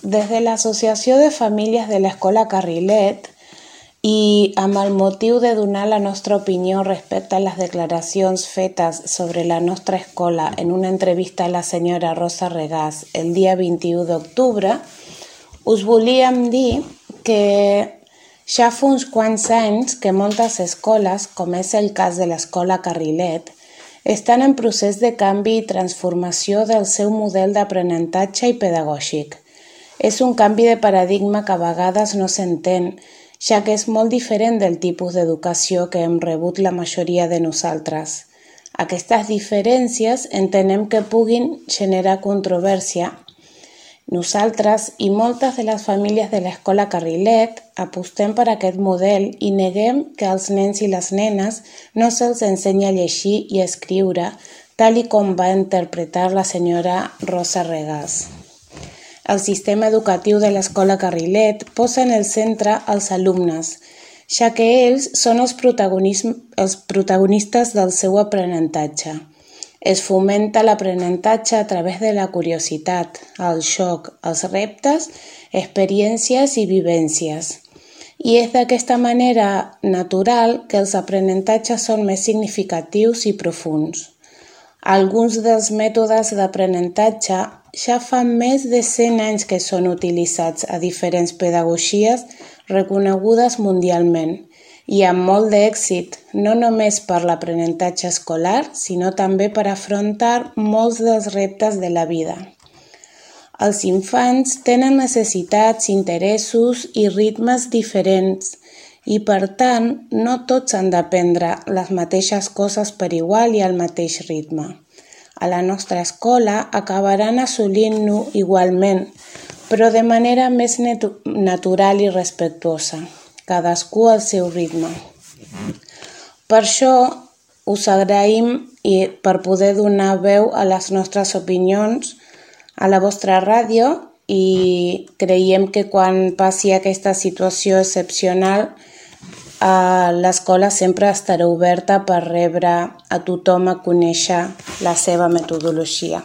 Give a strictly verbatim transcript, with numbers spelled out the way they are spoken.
des de l'Associació de Famílies de l'Escola Carrilet i amb el motiu de donar la nostra opinió respecte a les declaracions fetes sobre la nostra escola en una entrevista a la senyora Rosa Regàs el dia vint-i-u d'octubre, us volíem dir que ja fa uns quants anys que moltes escoles, com és el cas de l'Escola Carrilet, estan en procés de canvi i transformació del seu model d'aprenentatge i pedagògic. És un canvi de paradigma que a vegades no s'entén, ja que és molt diferent del tipus d'educació que hem rebut la majoria de nosaltres. Aquestes diferències entenem que puguin generar controvèrsia. Nosaltres i moltes de les famílies de l'Escola Carrilet apostem per aquest model i neguem que als nens i les nenes no se'ls ensenyi a llegir i escriure, tal i com va interpretar la senyora Rosa Regàs. El sistema educatiu de l'Escola Carrilet posa en el centre els alumnes, ja que ells són els protagonistes del seu aprenentatge. Es fomenta l'aprenentatge a través de la curiositat, el xoc, els reptes, experiències i vivències. I és d'aquesta manera natural que els aprenentatges són més significatius i profunds. Alguns dels mètodes d'aprenentatge ja fa més de cent anys que són utilitzats a diferents pedagogies reconegudes mundialment i amb molt d'èxit, no només per l'aprenentatge escolar, sinó també per afrontar molts dels reptes de la vida. Els infants tenen necessitats, interessos i ritmes diferents i, per tant, no tots han d'aprendre les mateixes coses per igual i al mateix ritme. A la nostra escola acabaran assolint-ho igualment, però de manera més natural i respectuosa, cadascú al seu ritme. Per això us agraïm per poder donar veu a les nostres opinions a la vostra ràdio i creiem que quan passi aquesta situació excepcional l'escola sempre estarà oberta per rebre a tothom a conèixer la seva metodologia.